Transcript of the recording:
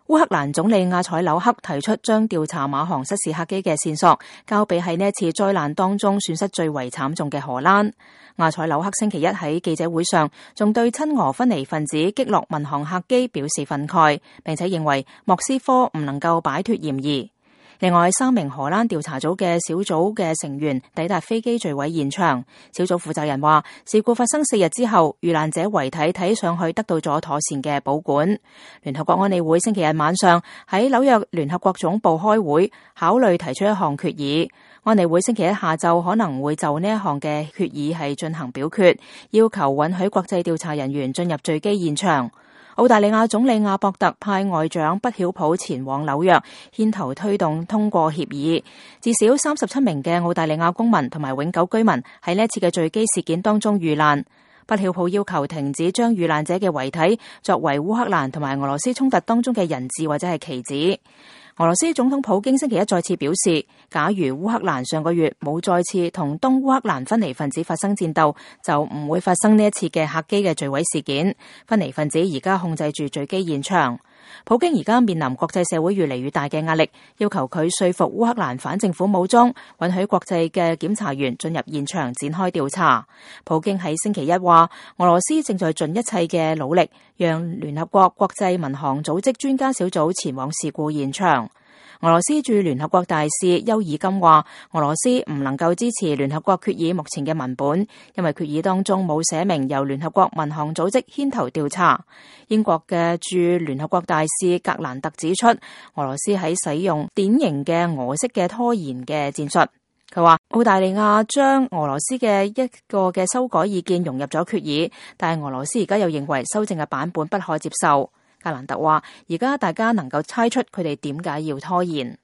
烏克蘭總理亞采紐克提出將調查馬航失事客機嘅線索交俾喺呢一次災難當中損失最為慘重嘅荷蘭。亞采紐克星期一喺記者會上仲對親俄分離分子擊落民航客機表示憤慨，並且認為莫斯科唔能夠擺脫嫌疑。另外，3名荷蘭調查組嘅小組嘅成員抵達飛機墜毀現場。小組負責人話，事故發生4日之後，遇難者遺體睇上去得到咗妥善嘅保管。聯合國安理會星期日晚上喺紐約聯合國總部開會，考慮提出一項決議。安理會星期一下晝可能會就呢一項嘅決議係進行表決，要求允許國際調查人員進入墜機現場。澳大利亞總理阿博特派外長畢曉普前往紐約，牽頭推動通過協議。至少37名嘅澳大利亞公民同埋永久居民喺呢一次嘅墜機事件當中遇難。畢曉普要求停止將遇難者嘅遺體作為烏克蘭同埋俄羅斯衝突當中嘅人質或者係棋子。俄羅斯總統普京星期一再次表示，假如烏克蘭上個月冇再次同東烏克蘭分離分子發生戰鬥，就唔會發生呢一次嘅客機嘅墜毀事件。分離分子而家控制住墜機現場。普京而家面臨國際社會越嚟越大嘅壓力，要求佢說服烏克蘭反政府武裝允許國際嘅檢查員進入現場展開調查。普京喺星期一話，俄羅斯正在盡一切嘅努力，讓聯合國國際民航組織專家小組前往事故現場。俄羅斯駐聯合國大使邱爾金話，俄羅斯唔能夠支持聯合國決議目前嘅文本，因為決議當中冇寫明由聯合國民航組織牽頭調查。英國嘅駐聯合國大使格蘭特指出，俄羅斯喺使用典型嘅俄式嘅拖延嘅戰術。佢話澳大利亞將俄羅斯嘅一個嘅修改意見融入咗決議，但係俄羅斯而家又認為修正嘅版本不可接受。格蘭特話，而家大家能夠猜出佢哋點解要拖延。